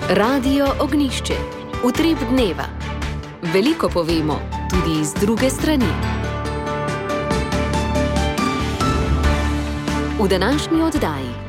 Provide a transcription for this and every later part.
Radio Ognišče, utrip dneva. Veliko povemo, tudi iz druge strani. V današnji oddaji.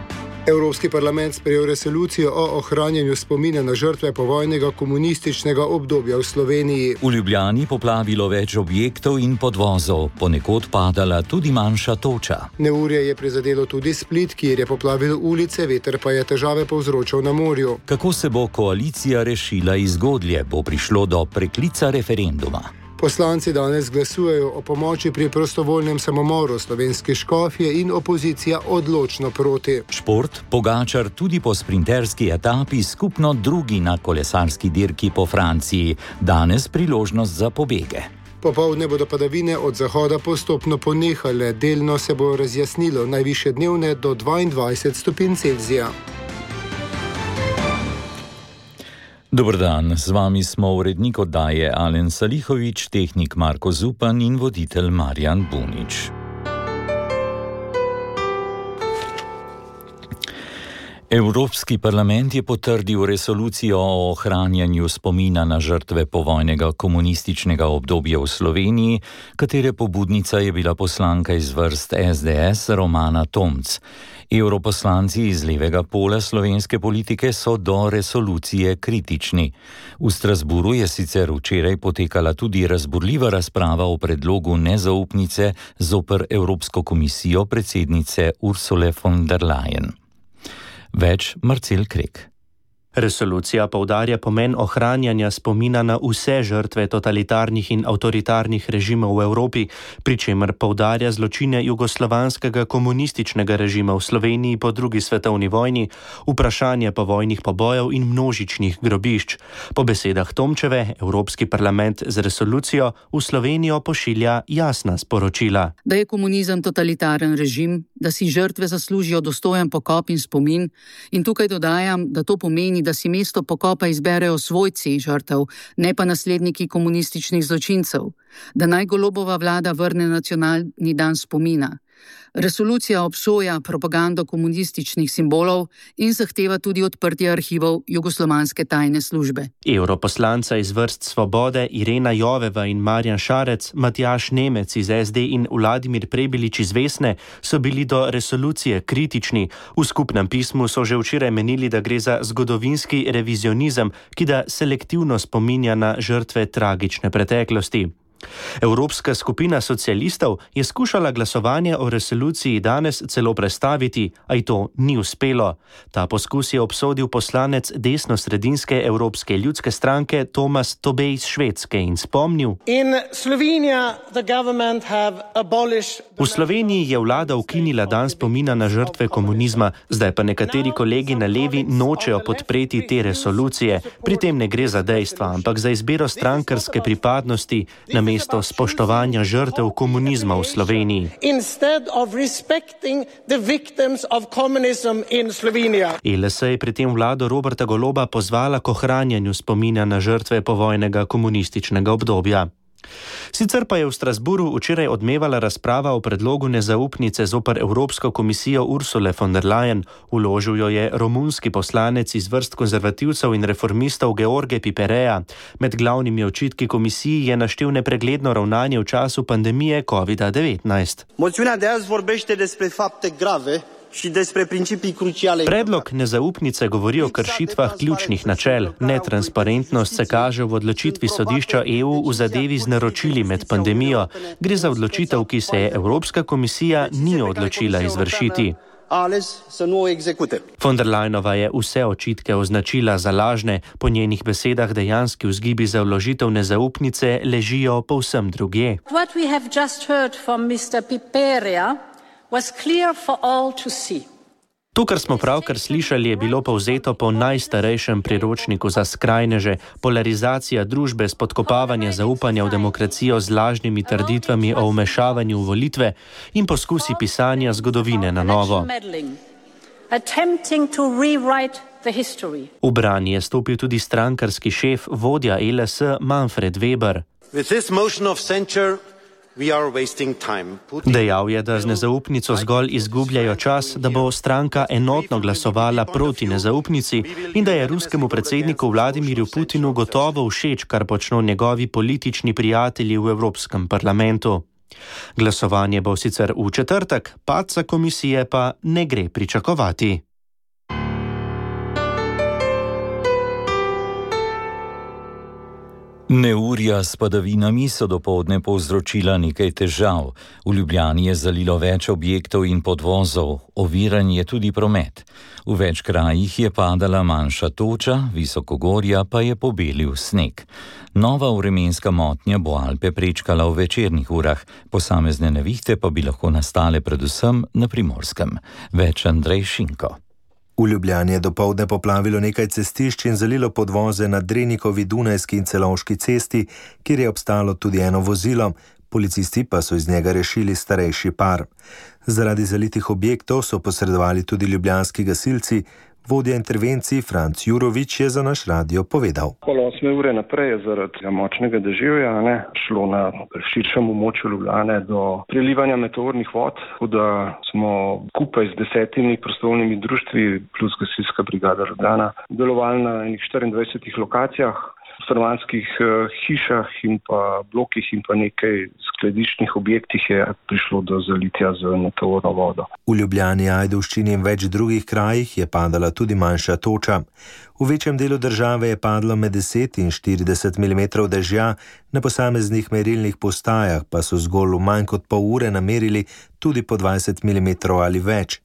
Evropski parlament sprejel resolucijo o ohranjanju spomina na žrtve povojnega komunističnega obdobja v Sloveniji. V Ljubljani poplavilo več objektov in podvozov, ponekod padala tudi manjša toča. Neurje je prizadelo tudi Split, kjer je poplavil ulice, veter pa je težave povzročal na morju. Kako se bo koalicija rešila iz Godlje, bo prišlo do preklica referenduma. Poslanci danes glasujejo o pomoči pri prostovoljnem samomoru slovenske škofje in opozicija odločno proti. Šport, Pogačar tudi po sprinterski etapi, skupno drugi na kolesarski dirki po Franciji. Danes priložnost za pobege. Popoldne bodo padavine od zahoda postopno ponehale, delno se bo razjasnilo, najvišje dnevne do 22 stopinj Celzija. Dober dan, z vami smo urednik oddaje Alen Salihovič, tehnik Marko Zupan in voditelj Marjan Bunič. Evropski parlament je potrdil resolucijo o ohranjanju spomina na žrtve povojnega komunističnega obdobja v Sloveniji, katere pobudnica je bila poslanka iz vrst SDS Romana Tomc. Evroposlanci iz levega pola slovenske politike so do resolucije kritični. V Strasburu je sicer včeraj potekala tudi razburljiva razprava o predlogu nezaupnice zoper Evropsko komisijo predsednice Ursule von der Leyen. Več Marcel Krek. Resolucija poudarja pomen ohranjanja spomina na vse žrtve totalitarnih in avtoritarnih režimov v Evropi, pri čemer poudarja zločine jugoslovanskega komunističnega režima v Sloveniji po drugi svetovni vojni, vprašanje povojnih pobojev in množičnih grobišč. Po besedah Tomčeve, Evropski parlament z resolucijo v Slovenijo pošilja jasna sporočila. Da je komunizem totalitaren režim, da si žrtve zaslužijo dostojen pokop in spomin, in tukaj dodajam, da to pomeni, da si mesto pokopa izberejo svojci žrtev, ne pa nasledniki komunističnih zločincev, da naj Golobova vlada vrne nacionalni dan spomina. Resolucija obsoja propagando komunističnih simbolov in zahteva tudi odprtje arhivov jugoslovanske tajne službe. Evroposlanca iz vrst Svobode Irena Joveva in Marjan Šarec, Matjaž Nemec iz SD in Vladimir Prebilič iz Vesne so bili do resolucije kritični. V skupnem pismu so že včeraj menili, da gre za zgodovinski revizionizem, ki da selektivno spominja na žrtve tragične preteklosti. Evropska skupina socialistov je skušala glasovanje o resoluciji danes celo prestaviti, a ji to ni uspelo. Ta poskus je obsodil poslanec desno-sredinske Evropske ljudske stranke Tomas Tobej iz Švedske in spomnil: V Sloveniji je vlada ukinila dan spomina na žrtve komunizma, zdaj pa nekateri kolegi na levi nočejo podpreti te resolucije. Pri tem ne gre za dejstva, ampak za izbiro strankarske pripadnosti namesto spoštovanja žrtev komunizma v Sloveniji. LS je pri tem vlado Roberta Goloba pozvala k ohranjanju spomina na žrtve povojnega komunističnega obdobja. Sicer pa je v Strasburu včeraj odmevala razprava o predlogu nezaupnice zoper Evropsko komisijo Ursule von der Leyen. Vložil jo je romunski poslanec iz vrst konzervativcev in reformistov George Pipereja. Med glavnimi očitki komisiji je naštel nepregledno ravnanje v času pandemije COVID-19. Moțiunea de azi vorbește despre fapte grave și despre principii cruciale. Predlog nezaupnice govori o kršitvah ključnih načel. Netransparentnost se kaže v odločitvi sodišča EU v zadevi z naročili med pandemijo. Gre za odločitev, ki se je Evropska komisija ni odločila izvršiti. Von der Leyenova je vse očitke označila za lažne. Po njenih besedah dejanski vzgibi za vložitev nezaupnice ležijo povsem drugje. What we have just heard from Mr. Piperia was clear for all to see. To, kar smo pravkar slišali, je bilo povzeto po najstarejšem priročniku za skrajneže, polarizacija družbe, spodkopavanje zaupanja v demokracijo z lažnimi trditvami o vmešavanju v volitve in poskusi pisanja zgodovine na novo. V bran je stopil tudi strankarski šef, vodja LS Manfred Weber. With this motion of censure, Dejal je, da z nezaupnico zgolj izgubljajo čas, da bo stranka enotno glasovala proti nezaupnici in da je ruskemu predsedniku Vladimirju Putinu gotovo všeč, kar počno njegovi politični prijatelji v Evropskem parlamentu. Glasovanje bo sicer v četrtek, padca komisije pa ne gre pričakovati. Neurja s padavinami so dopoldne povzročila nekaj težav. V Ljubljani je zalilo več objektov in podvozov, oviran je tudi promet. V več krajih je padala manjša toča, visokogorja pa je pobelil sneg. Nova vremenska motnja bo Alpe prečkala v večernih urah, posamezne nevihte pa bi lahko nastale predvsem na Primorskem. Več Andrej Šinko. V Ljubljani je dopoldne poplavilo nekaj cestišč in zalilo podvoze na Drenikovi, Dunajski in Celovški cesti, kjer je obstalo tudi eno vozilo. Policisti pa so iz njega rešili starejši par. Zaradi zalitih objektov so posredovali tudi ljubljanski gasilci. Vodja intervencij Franc Jurovič je za naš radio povedal. Pol 8 ure naprej je zaradi močnega deževja šlo na širšem območju Ljubljane do prelivanja meteornih vod, tako da smo skupaj z 10 prostovoljnimi društvi plus gasilska brigada Ljubljana delovali na enih 24 lokacijah, stanovanjskih hišah in pa blokih in pa nekaj skladiščnih objektih je prišlo do zalitja z meteorno vodo. V Ljubljani, Ajdovščini in več drugih krajih je padala tudi manjša toča. V večjem delu države je padlo med 10 in 40 mm dežja, na posameznih merilnih postajah pa so zgolj v manj kot pol ure namerili tudi po 20 mm ali več.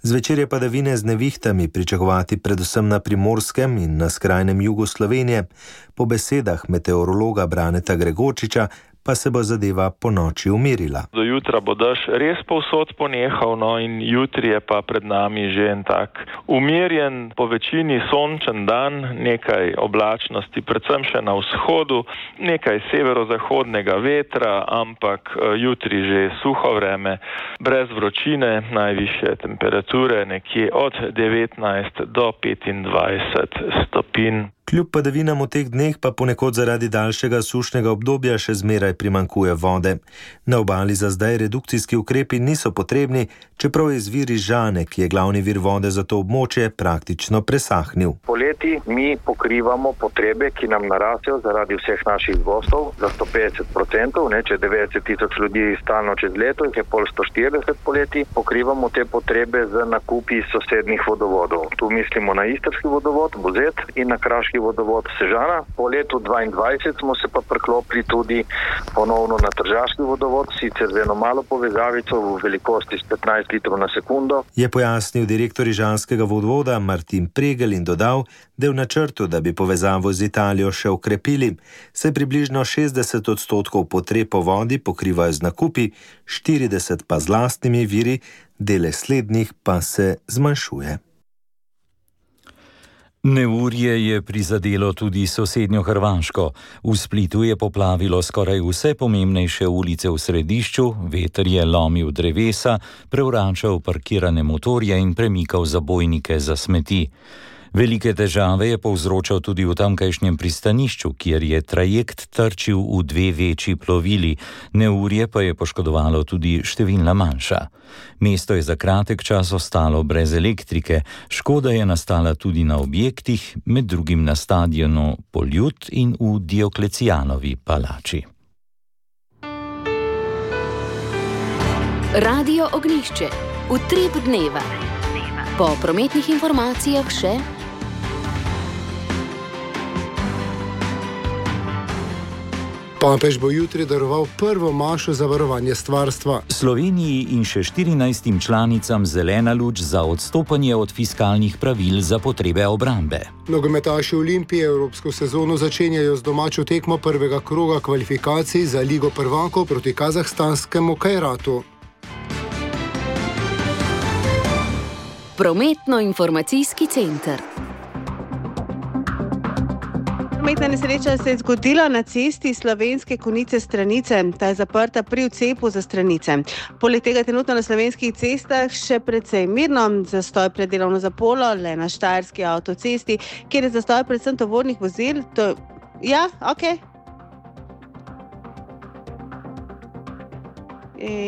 Zvečer je padavine z nevihtami pričakovati predvsem na Primorskem in na skrajnem jugu Slovenije. Po besedah meteorologa Braneta Gregorčiča pa se bo zadeva po noči umirila. Do jutra bo dež res povsod ponehal, in jutri je pa pred nami že en tak umirjen, po večini sončen dan, nekaj oblačnosti, predvsem še na vzhodu, nekaj severozahodnega vetra, ampak jutri že suho vreme, brez vročine, najvišje temperature nekje od 19 do 25 stopinj. Kljub padavinam v teh dneh pa ponekod zaradi daljšega sušnega obdobja še zmeraj primanjkuje vode. Na obali za zdaj redukcijski ukrepi niso potrebni, čeprav je izvir iz Žane, ki je glavni vir vode za to območje, praktično presahnil. Poleti mi pokrivamo potrebe, ki nam narastejo zaradi vseh naših gostov za 150%, če 90 tisoč ljudi stalno čez leto, jih je pol 140 poleti, pokrivamo te potrebe z nakupi sosednjih vodovodov. Tu mislimo na istrski vodovod, Buzet, in na kraški vodovod Sežana. Po letu 2022 smo se pa priklopili tudi ponovno na tržaški vodovod, sicer z eno malo povezavico v velikosti s 15 litrov na sekundo. Je pojasnil direktor Ižanskega vodovoda Martin Pregel in dodal, da je v načrtu, da bi povezavo z Italijo še okrepili. Se približno 60% potreb po vodi pokrivajo z nakupi, 40% pa z lastnimi viri, dele slednjih pa se zmanjšuje. Neurje je prizadelo tudi sosednjo Hrvaško. V Splitu je poplavilo skoraj vse pomembnejše ulice v središču, veter je lomil drevesa, prevračal parkirane motorje in premikal zabojnike za smeti. Velike težave je povzročal tudi v tamkajšnjem pristanišču, kjer je trajekt trčil v 2 večji plovili, neurje pa je poškodovalo tudi številna manjša. Mesto je za kratek čas ostalo brez elektrike, škoda je nastala tudi na objektih, med drugim na stadionu Poljud in v Dioklecijanovi palači. Radio Ognjišče, utrip dneva. Po prometnih informacijah še Papež bo jutri daroval prvo mašo za varovanje stvarstva. Sloveniji in še 14 članicam zelena luč za odstopanje od fiskalnih pravil za potrebe obrambe. Nogometaši Olimpije evropsko sezono začenjajo z domačo tekmo prvega kroga kvalifikacij za Ligo prvakov proti kazahstanskemu Kajratu. Prometno-informacijski center. Prometna nesreča se je zgodila na cesti Slovenske Konjice-Stranice. Ta je zaprta pri odcepu za Stranice. Poleg tega trenutno na slovenskih cestah še precej mirno, zastoj pred delovno zaporo, le na štajerski avtocesti, kjer je zastoj predvsem tovornih vozil.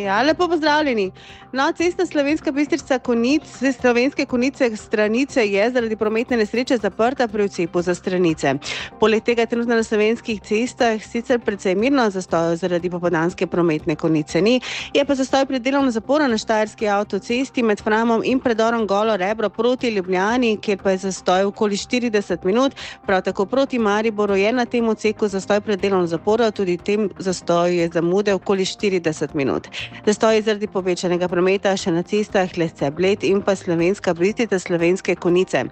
Ja, lepo pozdravljeni. No, cesta Slovenska Bistrica-Konic, Slovenske Konice Stranice je zaradi prometne nesreče zaprta pri odcepu za Stranice. Poleg tega trenutno na slovenskih cestah sicer precej mirno zastojev zaradi popoldanske prometne konice ni. Je pa zastoj pri delovnem zaporu na Štajerski avtocesti med Framom in predorom Golo Rebro proti Ljubljani, kjer pa je zastoj okoli 40 minut. Prav tako proti Mariboru je na tem odseku zastoj pri delovnem zaporu, tudi tem zastoju je zamude okoli 40 minut. Zastoj je zaradi povečanega prometa še na cestah Lesce-Bled in pa Slovenska Bistrica Slovenske Konice.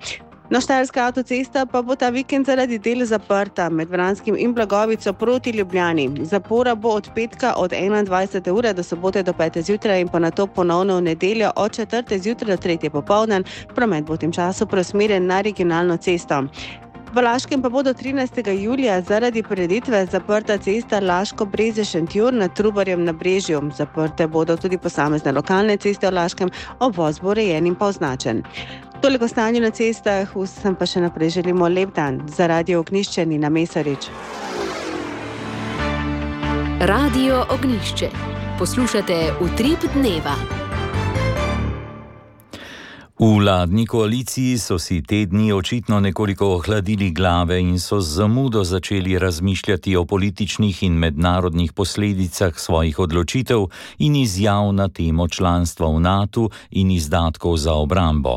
No, Štajerska avtocesta pa bo ta vikend zaradi del zaprta med Vranskim in Blagovico proti Ljubljani. Zapora bo od petka od 21. ure do sobote do 5. zjutraj in pa nato ponovno v nedeljo od 4. zjutraj do 3. popoldan. Promet bo v tem času preusmerjen na regionalno cesto. V Laškem pa bo do 13. julija zaradi prireditve zaprta cesta Laško-Breze-Šentjur nad Trubarjem na Brežju. Zaprte bodo tudi posamezne lokalne ceste v Laškem, obvoz bo urejen in pa označen. Toliko stanju na cestah, vsem pa še naprej želimo lep dan. Za Radio Ognjišče Nina Mesarič. Radio Ognjišče. Poslušate Utrip dneva. V vladni koaliciji so si te dni očitno nekoliko ohladili glave in so z zamudo začeli razmišljati o političnih in mednarodnih posledicah svojih odločitev in izjav na temo članstva v NATO in izdatkov za obrambo.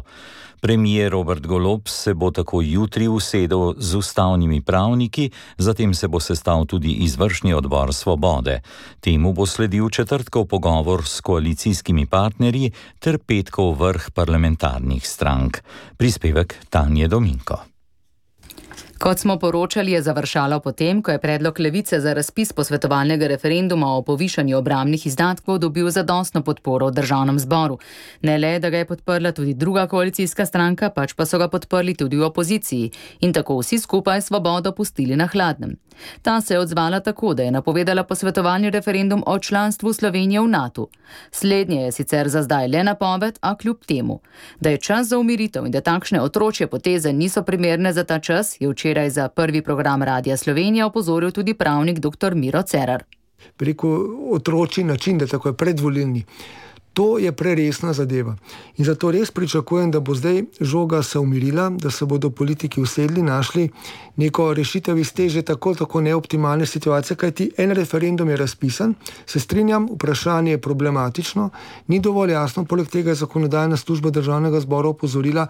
Premier Robert Golob se bo tako jutri usedel z ustavnimi pravniki, zatem se bo sestal tudi izvršni odbor Svobode. Temu bo sledil četrtkov pogovor s koalicijskimi partnerji ter petkov vrh parlamentarnih strank. Prispevek Tanje Dominko. Kot smo poročali, je završalo potem, ko je predlog Levice za razpis posvetovalnega referenduma o povišanju obrambnih izdatkov dobil zadostno podporo v državnem zboru. Ne le, da ga je podprla tudi druga koalicijska stranka, pač pa so ga podprli tudi v opoziciji in tako vsi skupaj Svobodo pustili na hladnem. Ta se je odzvala tako, da je napovedala posvetovalni referendum o članstvu Slovenije v NATO. Slednje je sicer za zdaj le napoved, a kljub temu, da je čas za umiritev in da takšne otročje poteze niso primerne za ta čas, je včeraj za prvi program Radia Slovenija opozoril tudi pravnik dr. Miro Cerar. Preko otročji način, da tako je predvolilni. To je preresna zadeva. In zato res pričakujem, da bo zdaj žoga se umirila, da se bodo politiki usedli, našli neko rešitev iz te že tako neoptimalne situacije, kajti en referendum je razpisan, se strinjam, vprašanje je problematično, ni dovolj jasno, poleg tega je zakonodajna služba državnega zbora opozorila,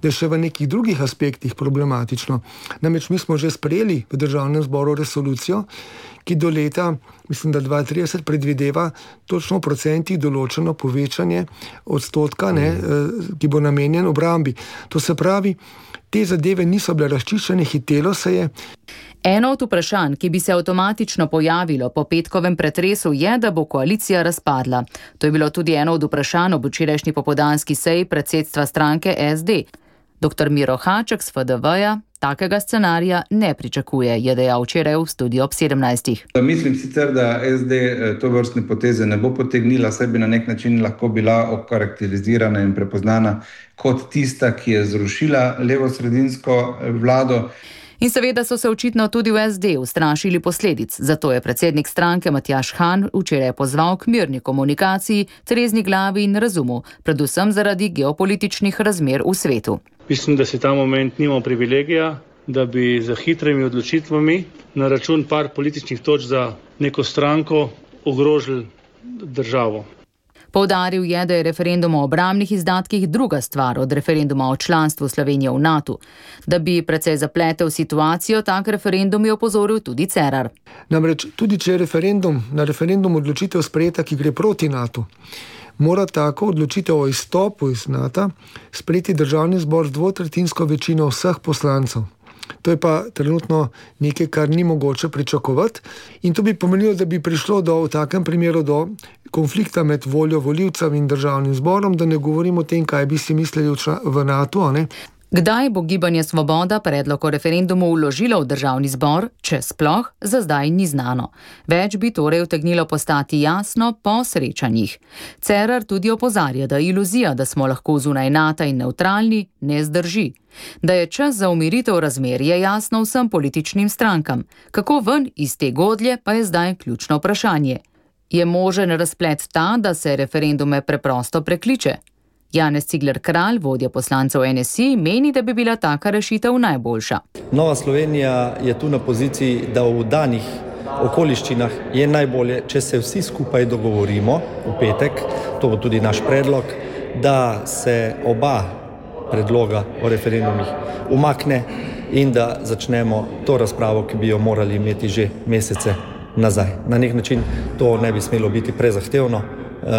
da je še v nekih drugih aspektih problematično. Namreč mi smo že sprejeli v državnem zboru resolucijo, ki do leta, mislim, da 2030 predvideva točno v procentih določeno povečanje odstotka, ki bo namenjen obrambi. To se pravi, te zadeve niso bile razčiščene, hitelo se je. Eno od vprašanj, ki bi se avtomatično pojavilo po petkovem pretresu, je, da bo koalicija razpadla. To je bilo tudi eno od vprašanj ob včerajšnji popoldanski seji predsedstva stranke SD. Dr. Miro Haček z FDV-ja takega scenarija ne pričakuje, je dejal včeraj v studiu ob 17. Mislim sicer, da SD to vrstne poteze ne bo potegnila, saj bi na nek način lahko bila okarakterizirana in prepoznana kot tista, ki je zrušila levo-sredinsko vlado. In seveda so se očitno tudi v SD ustrašili posledic, zato je predsednik stranke Matjaž Han včeraj pozval k mirni komunikaciji, trezni glavi in razumu, predvsem zaradi geopolitičnih razmer v svetu. Mislim, da si ta moment nimamo privilegija, da bi za hitrimi odločitvami na račun par političnih točk za neko stranko ogrožili državo. Poudaril je, da je referendum o obrambnih izdatkih druga stvar od referenduma o članstvu Slovenije v NATO. Da bi precej zapletel situacijo, tak referendum je opozoril tudi Cerar. Namreč tudi če je na referendum odločitev sprejeta, ki gre proti NATO, mora tako odločitev o izstopu iz NATO sprejeti državni zbor z dvotretjinsko večino vseh poslancev. To je pa trenutno nekaj, kar ni mogoče pričakovati in to bi pomenilo, da bi prišlo v takem primeru do konflikta med voljo volivcev in državnim zborom, da ne govorimo o tem, kaj bi si mislili v NATO, ne? Kdaj bo Gibanje Svoboda predlog o referendumu vložilo v državni zbor, če sploh, za zdaj ni znano. Več bi torej utegnilo postati jasno po srečanjih. Cerar tudi opozarja, da iluzija, da smo lahko zunaj NATO in nevtralni, ne zdrži. Da je čas za umiritev razmer, je jasno vsem političnim strankam. Kako ven iz te godlje, pa je zdaj ključno vprašanje. Je možen razplet ta, da se referendume preprosto prekliče? Janez Cigler Kralj, vodja poslancev NSI, meni, da bi bila taka rešitev najboljša. Nova Slovenija je tu na poziciji, da v danih okoliščinah je najbolje, če se vsi skupaj dogovorimo v petek, to bo tudi naš predlog, da se oba predloga o referendumih umakne in da začnemo to razpravo, ki bi jo morali imeti že mesece nazaj. Na nek način to ne bi smelo biti prezahtevno,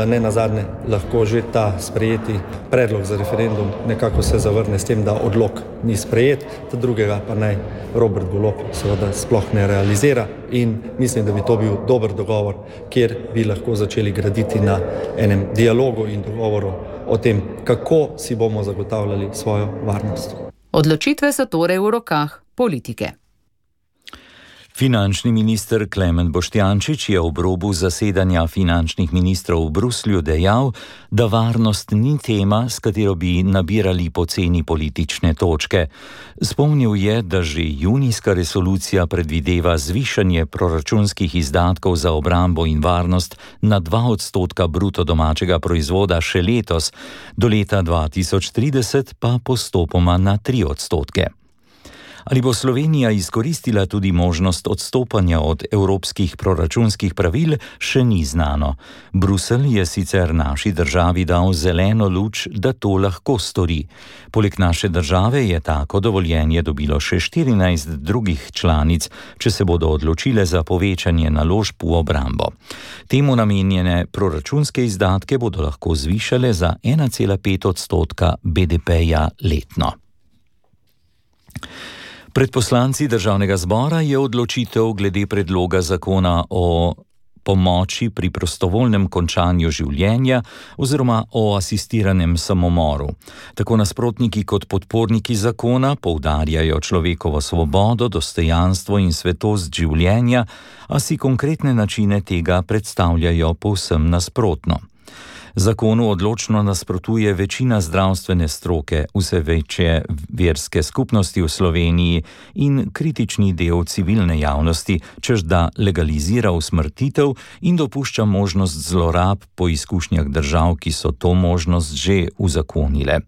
ne nazadnje lahko že ta sprejeti predlog za referendum nekako se zavrne s tem, da odlok ni sprejet, ta drugega pa naj Robert Golob seveda sploh ne realizira in mislim, da bi to bil dober dogovor, kjer bi lahko začeli graditi na enem dialogu in dogovoru o tem, kako si bomo zagotavljali svojo varnost. Odločitve so torej v rokah politike. Finančni minister Klemen Boštjančič je ob robu zasedanja finančnih ministrov v Bruslju dejal, da varnost ni tema, s katero bi nabirali poceni politične točke. Spomnil je, da že junijska resolucija predvideva zvišanje proračunskih izdatkov za obrambo in varnost na 2% bruto domačega proizvoda še letos, do leta 2030 pa postopoma na 3%. Ali bo Slovenija izkoristila tudi možnost odstopanja od evropskih proračunskih pravil, še ni znano. Bruselj je sicer naši državi dal zeleno luč, da to lahko stori. Poleg naše države je tako dovoljenje dobilo še 14 drugih članic, če se bodo odločile za povečanje naložb v obrambo. Temu namenjene proračunske izdatke bodo lahko zvišale za 1,5% BDP-ja letno. Pred poslanci Državnega zbora je odločitev glede predloga zakona o pomoči pri prostovoljnem končanju življenja oziroma o asistiranem samomoru. Tako nasprotniki kot podporniki zakona poudarjajo človekovo svobodo, dostojanstvo in svetost življenja, a si konkretne načine tega predstavljajo povsem nasprotno. Zakonu odločno nasprotuje večina zdravstvene stroke, vse večje verske skupnosti v Sloveniji in kritični del civilne javnosti, češ da legalizira usmrtitev in dopušča možnost zlorab po izkušnjah držav, ki so to možnost že uzakonile.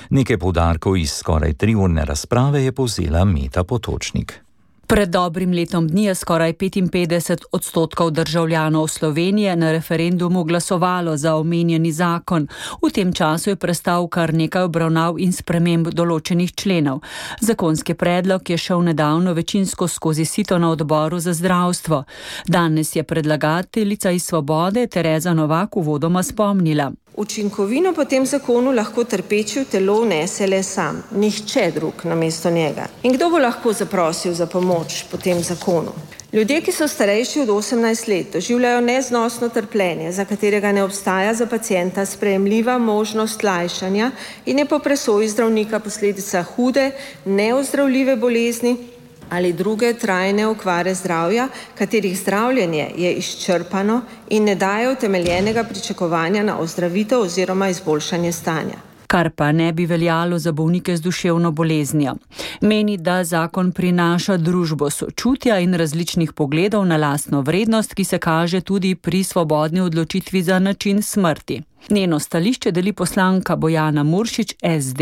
Nekaj poudarkov iz skoraj 3-urne razprave je povzela Meta Potočnik. Pred dobrim letom dni je skoraj 55% državljanov Slovenije na referendumu glasovalo za omenjeni zakon. V tem času je prestal kar nekaj obravnav in sprememb določenih členov. Zakonski predlog je šel nedavno večinsko skozi sito na odboru za zdravstvo. Danes je predlagateljica iz Svobode Tereza Novak uvodoma spomnila. Učinkovino po tem zakonu lahko trpeči v telo vnese le sam, nihče drug namesto njega. In kdo bo lahko zaprosil za pomoč po tem zakonu? Ljudje, ki so starejši od 18 let, doživljajo neznosno trpljenje, za katerega ne obstaja za pacienta sprejemljiva možnost lajšanja in je po presoji zdravnika posledica hude, neozdravljive bolezni ali druge trajne okvare zdravja, katerih zdravljenje je izčrpano in ne daje utemeljenega pričakovanja na ozdravitev oziroma izboljšanje stanja. Kar pa ne bi veljalo za bolnike z duševno boleznijo. Meni, da zakon prinaša družbo sočutja in različnih pogledov na lastno vrednost, ki se kaže tudi pri svobodni odločitvi za način smrti. Njeno stališče deli poslanka Bojana Muršič SD,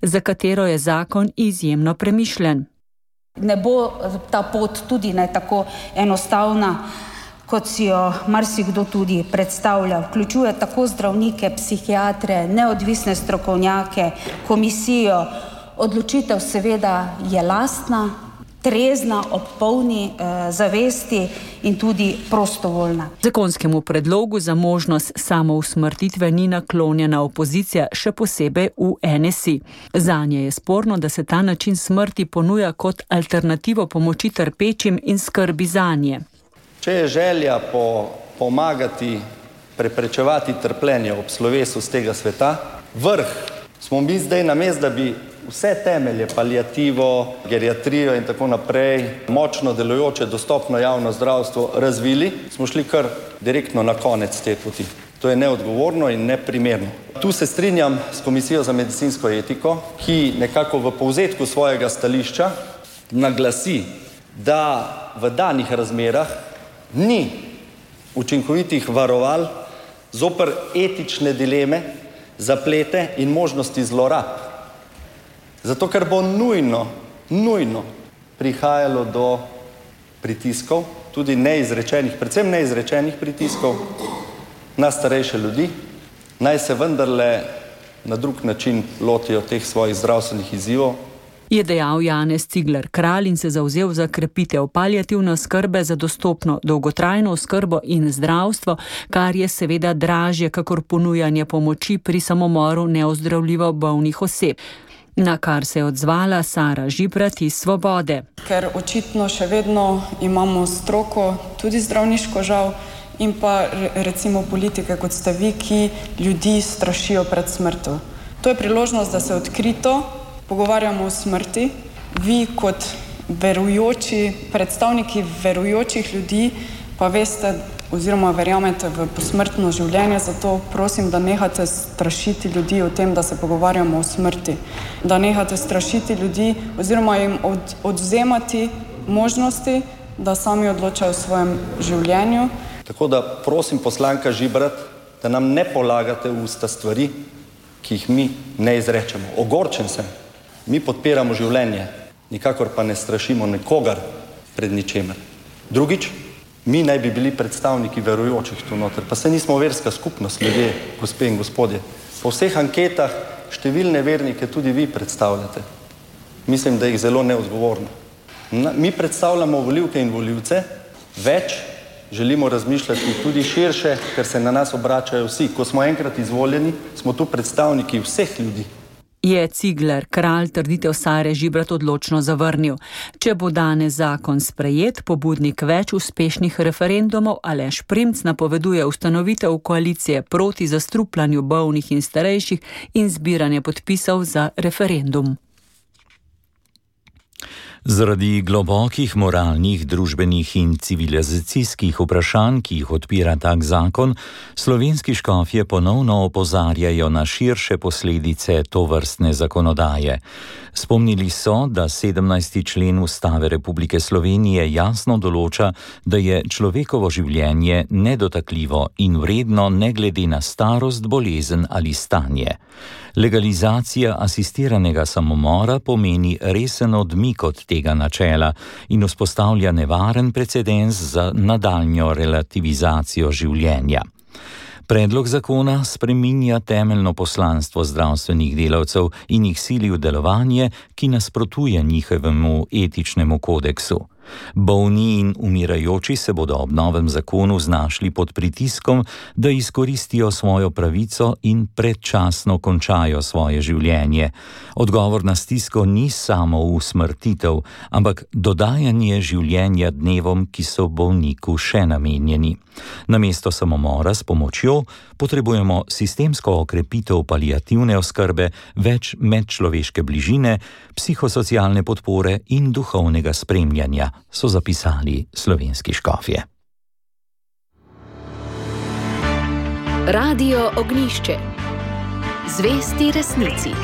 za katero je zakon izjemno premišljen. Ne bo ta pot tudi ne tako enostavna, kot si jo marsikdo tudi predstavlja. Vključuje tako zdravnike, psihiatre, neodvisne strokovnjake, komisijo. Odločitev seveda je lastna, trezna, ob polni zavesti in tudi prostovoljna. Zakonskemu predlogu za možnost samousmrtitve ni naklonjena opozicija, še posebej v NSI. Zanje je sporno, da se ta način smrti ponuja kot alternativo pomoči trpečim in skrbi zanje. Če je želja pomagati, preprečevati trpljenje ob slovesu z tega sveta, vrh smo mi zdaj namesto, da bi vse temelje, paliativo, geriatrijo in tako naprej, močno delujoče, dostopno javno zdravstvo razvili, smo šli kar direktno na konec te poti. To je neodgovorno in neprimerno. Tu se strinjam s Komisijo za medicinsko etiko, ki nekako v povzetku svojega stališča naglasi, da v danih razmerah ni učinkovitih varoval zoper etične dileme, zaplete in možnosti zlorab. Zato, ker bo nujno prihajalo do pritiskov, tudi neizrečenih, predvsem neizrečenih pritiskov na starejše ljudi, naj se vendarle na drug način lotijo teh svojih zdravstvenih izzivov. Je dejal Janez Cigler Kralj in se zavzel za krepitev paliativne oskrbe za dostopno dolgotrajno oskrbo in zdravstvo, kar je seveda dražje kakor ponujanje pomoči pri samomoru neozdravljivo bolnih oseb. Na kar se je odzvala Sara Žibrat iz Svobode. Ker očitno še vedno imamo stroko, tudi zdravniško žal, in pa recimo politike, kot ste vi, ki ljudi strašijo pred smrtjo. To je priložnost, da se odkrito pogovarjamo o smrti. Vi kot verujoči, predstavniki verujočih ljudi, pa veste oziroma verjamete v posmrtno življenje, zato prosim, da nehate strašiti ljudi o tem, da se pogovarjamo o smrti. Da nehate strašiti ljudi oziroma jim odvzemati možnosti, da sami odločajo o svojem življenju. Tako da prosim poslanka Žibrat, da nam ne polagate v usta stvari, ki jih mi ne izrečemo. Ogorčen sem. Mi podpiramo življenje, nikakor pa ne strašimo nikogar pred ničemer. Drugič, mi naj bi bili predstavniki verujočih tu noter, pa se nismo verska skupnost, ljudje, gospe in gospodje. Po vseh anketah številne vernike tudi vi predstavljate. Mislim, da jih zelo neodgovorno. Mi predstavljamo volivke in volivce, več želimo razmišljati tudi širše, ker se na nas obračajo vsi. Ko smo enkrat izvoljeni, smo tu predstavniki vseh ljudi. Je Cigler Kralj trditev Sare Žibrat odločno zavrnil. Če bo danes zakon sprejet, pobudnik več uspešnih referendumov Aleš Primc napoveduje ustanovitev koalicije proti zastrupljanju bolnih in starejših in zbiranje podpisov za referendum. Zaradi globokih moralnih, družbenih in civilizacijskih vprašanj, ki jih odpira tak zakon, slovenski škofje ponovno opozarjajo na širše posledice tovrstne zakonodaje. Spomnili so, da 17. člen Ustave Republike Slovenije jasno določa, da je človekovo življenje nedotakljivo in vredno ne glede na starost, bolezen ali stanje. Legalizacija asistiranega samomora pomeni resen odmik od tega načela in vzpostavlja nevaren precedens za nadaljnjo relativizacijo življenja. Predlog zakona spreminja temeljno poslanstvo zdravstvenih delavcev in jih sili v delovanje, ki nasprotuje njihovemu etičnemu kodeksu. Bolni in umirajoči se bodo ob novem zakonu znašli pod pritiskom, da izkoristijo svojo pravico in predčasno končajo svoje življenje. Odgovor na stisko ni samo usmrtitev, ampak dodajanje življenja dnevom, ki so bolniku še namenjeni. Namesto samomora s pomočjo potrebujemo sistemsko okrepitev paliativne oskrbe, več medčloveške bližine, psihosocialne podpore in duhovnega spremljanja, so zapisali slovenski škofje. Radio Ognjišče. Zvesti resnici.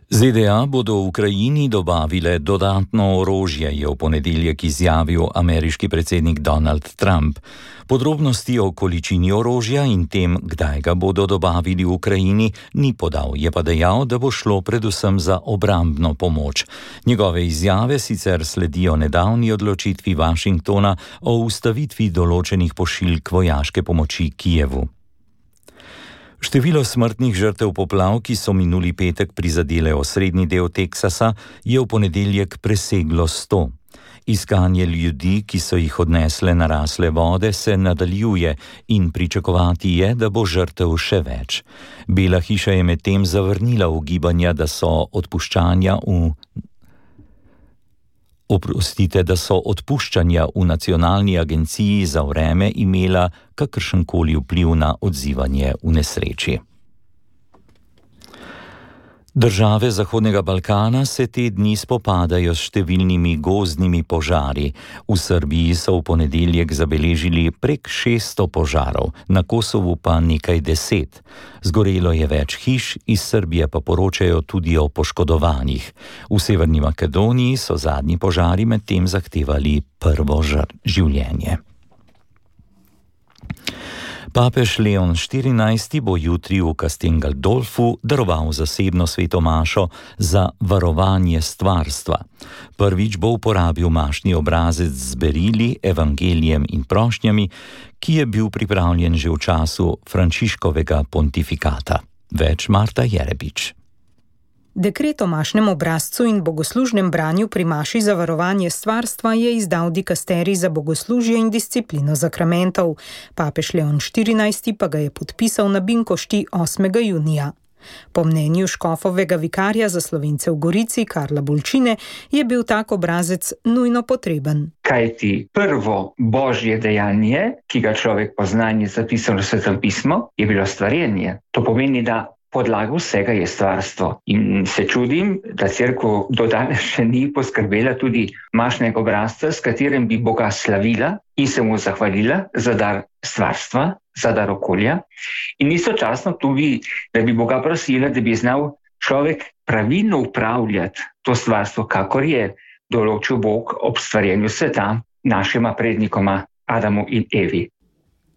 ZDA bodo Ukrajini dobavile dodatno orožje, je v ponedeljek izjavil ameriški predsednik Donald Trump. Podrobnosti o količini orožja in tem, kdaj ga bodo dobavili v Ukrajini, ni podal, je pa dejal, da bo šlo predvsem za obrambno pomoč. Njegove izjave sicer sledijo nedavni odločitvi Washingtona o ustavitvi določenih pošiljk vojaške pomoči Kijevu. Število smrtnih žrtev poplav, ki so minuli petek prizadele osrednji del Teksasa, je v ponedeljek preseglo 100. Iskanje ljudi, ki so jih odnesle narasle vode, se nadaljuje in pričakovati je, da bo žrtev še več. Bela hiša je medtem zavrnila ugibanja, da so odpuščanja v Nacionalni agenciji za vreme imela kakršenkoli vpliv na odzivanje v nesreči. Države Zahodnega Balkana se te dni spopadajo s številnimi gozdnimi požari. V Srbiji so v ponedeljek zabeležili prek 600 požarov, na Kosovu pa nekaj 10. Zgorelo je več hiš, iz Srbije pa poročajo tudi o poškodovanih. V Severni Makedoniji so zadnji požari medtem zahtevali prvo življenje. Papež Leon XIV bo jutri v Castel Gandolfu daroval zasebno sveto mašo za varovanje stvarstva. Prvič bo uporabil mašni obrazec z berili, evangelijem in prošnjami, ki je bil pripravljen že v času Frančiškovega pontifikata. Več Marta Jerebič. Dekret o mašnem obrazcu in bogoslužnem branju pri maši za varovanje stvarstva je izdal dikasterij za bogoslužje in disciplino zakramentov. Papež Leon XIV pa ga je podpisal na Binkošti 8. junija. Po mnenju škofovega vikarja za Slovence v Gorici, Karla Bolčine, je bil tak obrazec nujno potreben. Kajti prvo božje dejanje, ki ga človek pozna in je zapisano v Svetem pismu, je bilo stvarjenje. To pomeni, da podlaga vsega je stvarstvo. In se čudim, da cerkev do danes še ni poskrbela tudi mašnega obrazca, s katerim bi Boga slavila in se mu zahvalila za dar stvarstva, za dar okolja. In istočasno tudi, da bi Boga prosila, da bi znal človek pravilno upravljati to stvarstvo, kakor je določil Bog ob stvarjenju sveta našima prednikoma Adamu in Evi.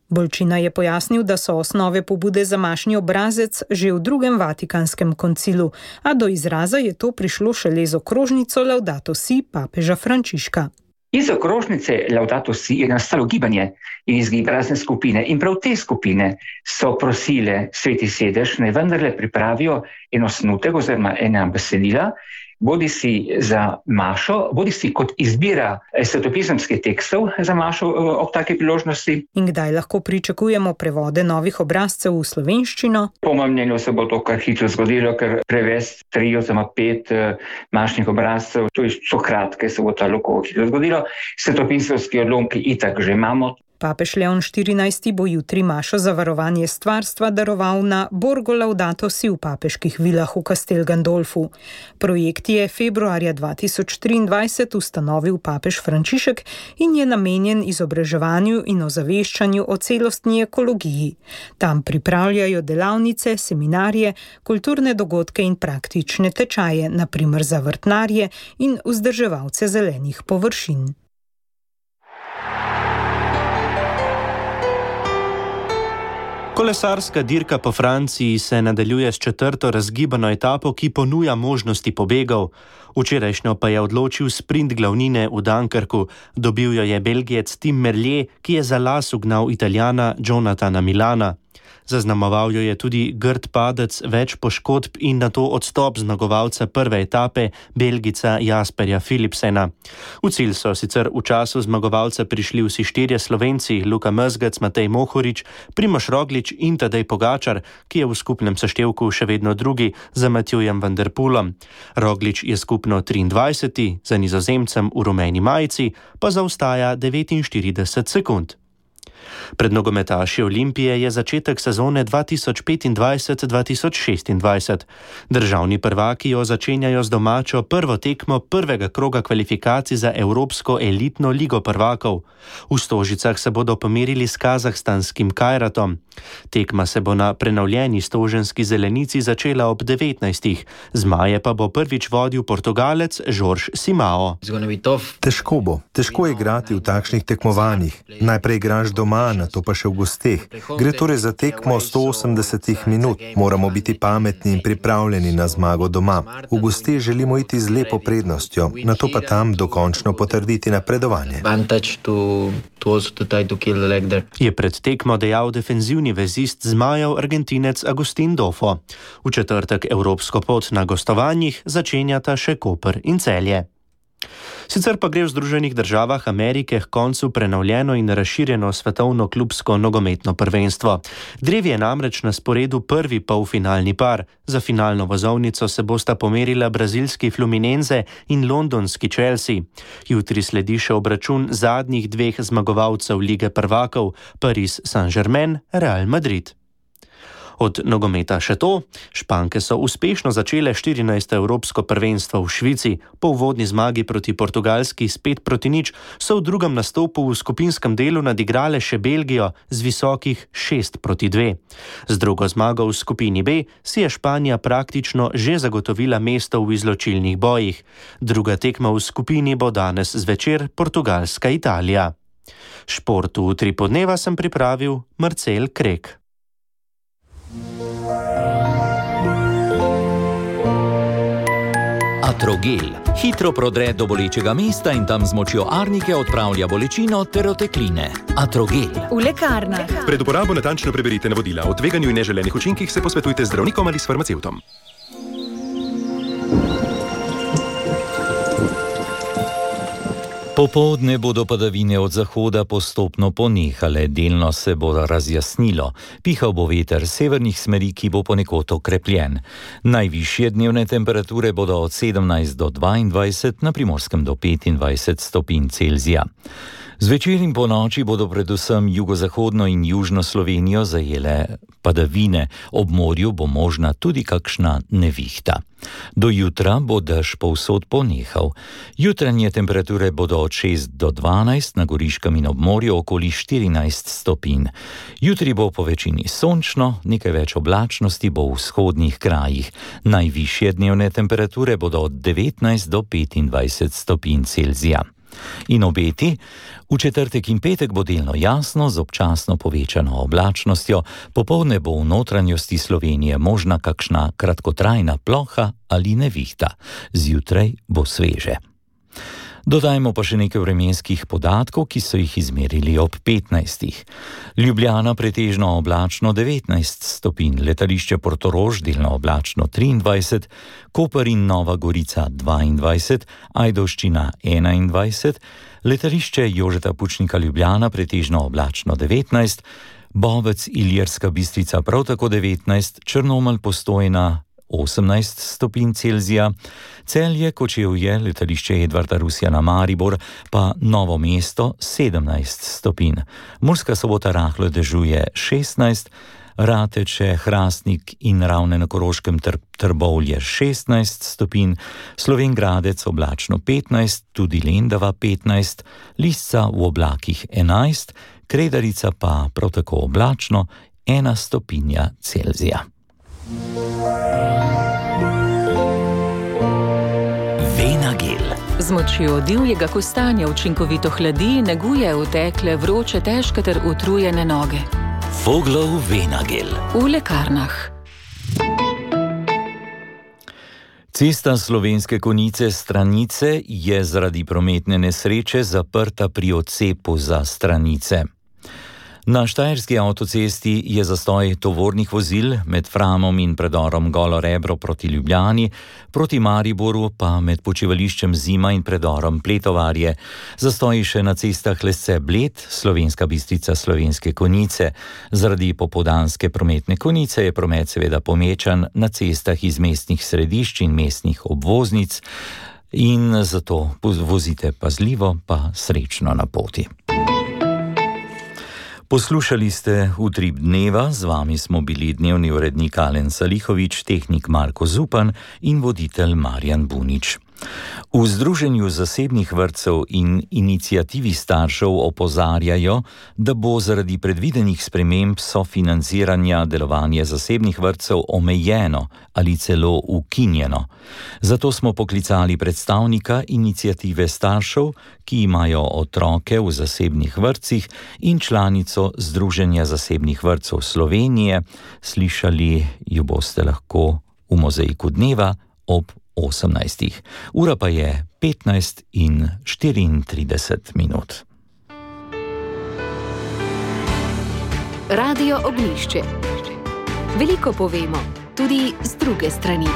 Bolčina je pojasnil, da so osnove pobude za mašni obrazec že v drugem Vatikanskem koncilu, a do izraza je to prišlo šele z okrožnico Laudato Si papeža Frančiška. Iz okrožnice Laudato Si je nastalo gibanje in izgib razne skupine. In prav te skupine so prosile Sveti sedež, naj vendarle pripravijo en osnutek oziroma ena besedila, bodi si za mašo, bodi si kot izbira svetopisemskih tekstov za mašo ob take priložnosti. In kdaj lahko pričakujemo prevode novih obrazcev v slovenščino? Po mojem mnenju se bo to kar hitro zgodilo, ker prevesti 3 oziroma 5 mašnih obrazcev, to je so kratke, se bo ta lahko hitro zgodilo. Svetopisemski odlomki itak že imamo. Papež Leon XIV bo jutri mašo za varovanje stvarstva daroval na Borgo Laudato Si v papeških vilah v Castel Gandolfu. Projekt je februarja 2023 ustanovil papež Frančišek in je namenjen izobraževanju in ozaveščanju o celostni ekologiji. Tam pripravljajo delavnice, seminarje, kulturne dogodke in praktične tečaje, na primer za vrtnarje in vzdrževalce zelenih površin. Kolesarska dirka po Franciji se nadaljuje s 4. razgibano etapo, ki ponuja možnosti pobegov. Včerajšnjo pa je odločil sprint glavnine v Dunkerku. Dobil jo je Belgijec Tim Merlier, ki je za las ugnal Italijana Jonathana Milana. Zaznamoval jo je tudi grd padec, več poškodb in nato odstop zmagovalca prve etape, Belgica Jasperja Philipsena. V cilj so sicer v času zmagovalca prišli vsi 4 Slovenci, Luka Mezgec, Matej Mohorič, Primož Roglič in Tadej Pogačar, ki je v skupnem seštevku še vedno drugi za Matjujem van der Poelom. Roglič je skupno 23, za Nizozemcem v rumeni majici pa zaostaja 49 sekund. Pred nogometaši Olimpije je začetek sezone 2025-2026. Državni prvaki jo začenjajo z domačo prvo tekmo prvega kroga kvalifikacij za Evropsko elitno ligo prvakov. V Stožicah se bodo pomerili s kazahstanskim Kajratom. Tekma se bo na prenovljeni stoženski zelenici začela ob 19. Zmaje pa bo prvič vodil Portugalec Jorge Simao. Težko bo. Težko je igrati v takšnih tekmovanjih. Najprej igraš doma, nato pa še v gosteh. Gre torej za tekmo 180 minut. Moramo biti pametni in pripravljeni na zmago doma. V gosteh želimo iti z lepo prednostjo, nato pa tam dokončno potrditi napredovanje. Je pred tekmo dejal defenzivni vezist zmajev Argentinec Agustin Dofo. V četrtek evropsko pot na gostovanjih začenjata še Koper in Celje. Sicer pa gre v Združenih državah Amerike k koncu prenovljeno in razširjeno svetovno klubsko nogometno prvenstvo. Drevi je namreč na sporedu prvi polfinalni par. Za finalno vozovnico se bosta pomerila brazilski Fluminense in londonski Chelsea. Jutri sledi še obračun zadnjih 2 zmagovalcev Lige prvakov, Paris Saint-Germain, Real Madrid. Od nogometa še to. Španke so uspešno začele 14. evropsko prvenstvo v Švici. Po uvodni zmagi proti Portugalski s 5-0 so v drugem nastopu v skupinskem delu nadigrale še Belgijo z visokih 6-2. Z drugo zmago v skupini B si je Španija praktično že zagotovila mesto v izločilnih bojih. Druga tekma v skupini bo danes zvečer Portugalska-Italija. Šport v Utri podneva sem pripravil Marcel Krek. Atrogel. Hitro prodre do bolečega mesta in tam z močjo arnike odpravlja bolečino ter otekline. Atrogel. V lekarnah. Pred uporabo natančno preberite navodila. O tveganju in neželenih učinkih se posvetujte z zdravnikom ali s farmacevtom. Popoldne bodo padavine od zahoda postopno ponehale, delno se bo razjasnilo. Pihal bo veter severnih smeri, ki bo ponekod okrepljen. Najvišje dnevne temperature bodo od 17 do 22, na Primorskem do 25 stopinj Celzija. Zvečer in po noči bodo predvsem jugozahodno in južno Slovenijo zajele padavine, ob morju bo možna tudi kakšna nevihta. Do jutra bo dež povsod ponehal. Jutranje temperature bodo od 6 do 12, na Goriškem in ob morju okoli 14 stopinj. Jutri bo po večini sončno, nekaj več oblačnosti bo v vzhodnih krajih. Najvišje dnevne temperature bodo od 19 do 25 stopinj Celzija. In obeti, v četrtek in petek bo delno jasno z občasno povečano oblačnostjo, popoldne bo v notranjosti Slovenije možna kakšna kratkotrajna ploha ali nevihta, zjutraj bo sveže. Dodajmo pa še nekaj vremenskih podatkov, ki so jih izmerili ob 15. Ljubljana pretežno oblačno 19 stopinj, letališče Portorož delno oblačno 23, Koper in Nova Gorica 22, Ajdovščina 21, letališče Jožeta Pučnika Ljubljana pretežno oblačno 19, Bovec Ilirska Bistrica prav tako 19, Črnomelj Postojna 18 stopinj Celzija, Celje, Kočevje, letališče Edvarda Rusjana Maribor, pa Novo mesto 17 stopinj. Murska Sobota rahlo dežuje 16, Rateče, Hrastnik in Ravne na Koroškem Trbovlje 16 stopinj, Slovenj Gradec oblačno 15, tudi Lendava 15, Lisca v oblakih 11, Kredarica pa prav tako oblačno 1 stopinja Celzija. Venagel. Z močjo divjega kostanja učinkovito hladi, neguje utekle, vroče, težke ter utrujene noge. Voglov Venagel. V lekarnah. Cesta Slovenske Konjice Stranice je zaradi prometne nesreče zaprta pri odcepu za Stranice. Na štajerski avtocesti je zastoj tovornih vozil med Framom in predorom Golo Rebro proti Ljubljani, proti Mariboru pa med počivališčem Zima in predorom Pletovarje. Zastoji še na cestah Lesce Bled, Slovenska Bistrica, Slovenske Konjice. Zaradi popoldanske prometne konice je promet seveda pomečan na cestah iz mestnih središč in mestnih obvoznic in zato vozite pazljivo pa srečno na poti. Poslušali ste Utrip dneva, z vami smo bili dnevni urednik Alen Salihovič, tehnik Marko Zupan in voditelj Marjan Bunič. V Združenju zasebnih vrtcev in iniciativi staršev opozarjajo, da bo zaradi predvidenih sprememb sofinanciranja delovanje zasebnih vrtcev omejeno ali celo ukinjeno. Zato smo poklicali predstavnika iniciative staršev, ki imajo otroke v zasebnih vrtcih, in članico Združenja zasebnih vrtcev Slovenije. Slišali jo boste lahko v Mozaiku dneva ob 18. Ura pa je 15:34. Radio Oglišče. Veliko povemo, tudi z druge strani.